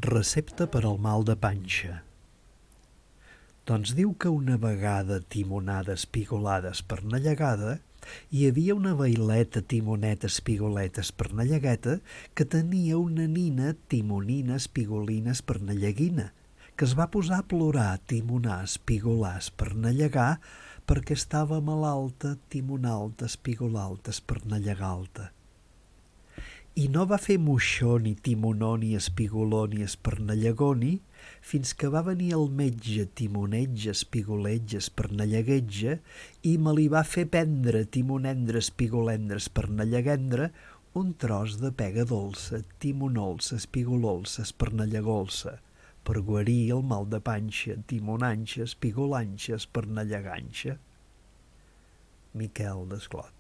Recepta per al mal de panxa. Doncs diu que una vegada timonada espigolada espernallegada hi havia una vaileta timoneta espigoleta espernallegueta que tenia una nina timonina espigolina espernalleguina que es va posar a plorar timonar espigolar espernallegar perquè estava malalta timonalta espigolalta espernallegalta. I no va fer moixó ni timonó ni espigoló ni espernallegoni fins que va venir el metge timoneig espigoleig espernalleguetge i me li va fer prendre timonendre espigolendre espernalleguendre un tros de pega dolça timonolça espigololça espernallegolça per guarir el mal de panxa timonanxa espigolanxa espernalleganxa. Miquel Desclot.